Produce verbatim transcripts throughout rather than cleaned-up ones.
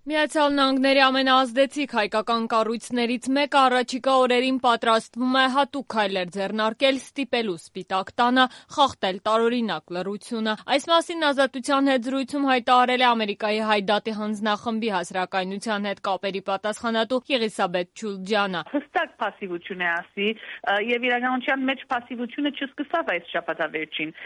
Միացյալ Նահանգների ամենաազդեցիկ հայկական կառույցներից մեկը առաջիկա օրերին պատրաստվում է հատուկ քայլեր ձեռնարկել ստիպելու Սպիտակ տանը խախտել տարօրինակ լռությունը։ Այս մասին Ազատության հետ զրույցում հայտարարել է Ամերիկայի Հայդատի հանձնախմբի հասարակայնության հետ կապերի պատասխանատու Եղիսաբեթ Չուլջյանը։ Հստակ փասիվություն է ասի եւ իրականության մեջ փասիվությունը չսկսավ այս շաբաթավերջին։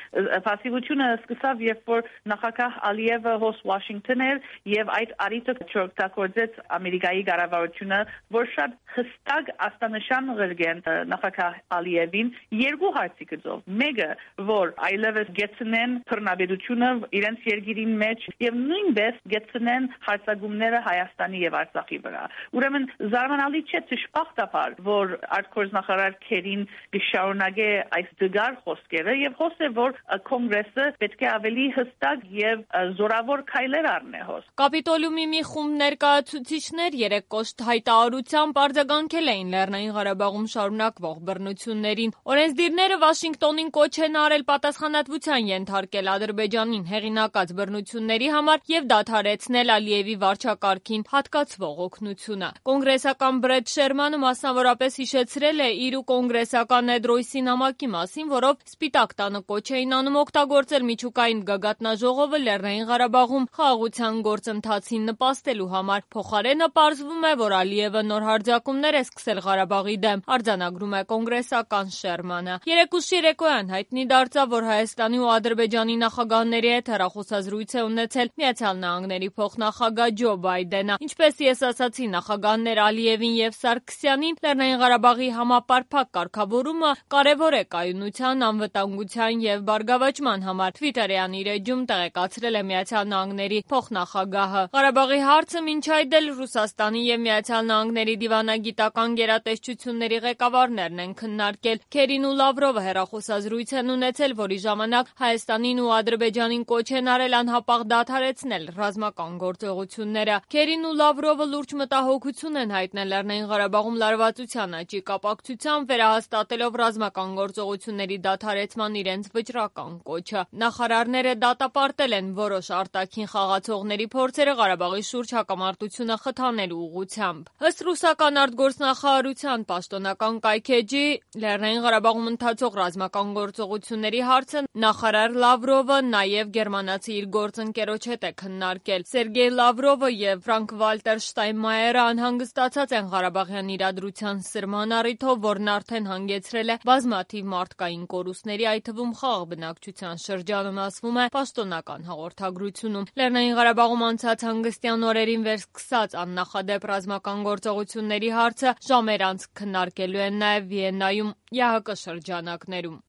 Փասիվությունը սկսավ, երբ որ նախագահ Ալիևը հոս Վաշինգտոն էր եւ այդ արիտը չօգտագործեց Ամերիկայի կառավարությունը, որ շատ հստակ աստանշան ղրգեն նախագահ Ալիևին երկու հարցի գծով։ Մեկը, որ այլևս գեցնեն բռնաբերությունը իրենց երկիրին մեջ եւ նույնպես գեցնեն հարձակումները Հայաստանի եւ Արցախի վրա։ Ուրեմն զարմանալի չէ ճշմարտաբար, որ արտգործնախարար Քերին կշարունակե այս դգար խոսքերը եւ խոսե, որ կոնգրեսը պետք է ավելի հստակ եւ զորավոր քայլեր առնի հոս։ Կապիտոլիումի մի խումբ ներկայացուցիչներ երեկ կոշտ հայտարարությամբ արձագանքել էին Լեռնային Ղարաբաղում շարունակվող բռնություններին։ Օրենսդիրները Վաշինգտոնին կոչ են արել պատասխանատվության ենթարկել Ադրբեջանին հեղինակած բռնությունների համար եւ դադարեցնել Ալիևի վարչակարգին հատկացվող օգնությունը։ Կոնգրեսական Բրեդ Շերմանը մասնավորապես հիշեցրել է իր ու կոնգրեսական Էդ Ռոյսի նամակի մասին, որով Սպիտակ տանը կոչ էին անում օգտագործել միջուկային գագաթնաժողովը Լեռնային Ղարաբաղում խաղաղության գործընթացին նպաստելու համար։ Փոխարենը պարզվում է, որ Ալիևը նոր հարձակումներ է սկսել Ղարաբաղի դեմ, արձանագրում է կոնգրեսական Շերմանը։ Երեկուշ երեկոյան հայտնի դարձավ, որ Հայաստանի ու Ադրբեջանի նախագահների հետ հեռախոսազրույց է ունեցել Միացյալ Նահանգների փոխնախագահ Ջո Բայդենը։ Ինչպես ես ասացի, նախագահներ Ալիևին եւ Սարգսյանին Լեռնային Ղարաբաղի համապարփակ կարգավորումը կարևոր է կայունության, անվտանգության եւ բարգավաճման համար, Թվիտերյան իր էջում տեղեկացրել է Միացյալ Նահանգների փոխնախագահը։ Ղարաբաղի հարցը մինչ այդ էլ Ռուսաստանի եւ Միացյալ Նահանգների դիվանագիտական գերատեսչությունների ղեկավարներն են քննարկել։ Քերին ու Լավրովը հեռախոսազրույց են ունեցել, որի ժամանակ Հայաստանին ու Ադրբեջանին կոչ են արել անհապաղ դադարեցնել ռազմական գործողությունները։ Քերին ու Լավրովը լուրջ մտահոգություն են հայտնել Լեռնային Ղարաբաղում լարվածության աճի կապակցությամբ, վերահաստատելով ռազմական գործողությունների դադարեցման իրենց վճռական կոչը։ Նախարարները դատապարտել են որոշ արտաքին խաղացողների փորձերը Ղարաբաղի շուրջ հակամարտությունը խթանելու ուղղությամբ։ Ըստ ռուսական արտգործնախարարության պաշտոնական կայքէջի, Լեռնային Ղարաբաղում ընթացող ռազմական գործողությունների հարցը նախարար Լավրովը նաև գերմանացի իր գործընկերոջ հետ է քննարկել։ Սերգեյ Լավրովը եւ Ֆրանկ Վալտեր Շտայնմայերը անհանգստացած են Ղարաբաղյան իրադրության սրման առիթով, որն արդեն հանգեցրել է բազմաթիվ մարդկային կորուստների, այդ թվում խաղաղ բնակչության շրջանում, ասվում է պաշտոնական հաղորդագրությունում։ Լեռնային Ղարաբաղում անցած հանգստյան օրերին վերսկսած աննախադեպ ռազմական գործողությունների հարցը ժամեր անց քննարկելու են նաև Վիեննայում ԵԱՀԿ շրջանակներում։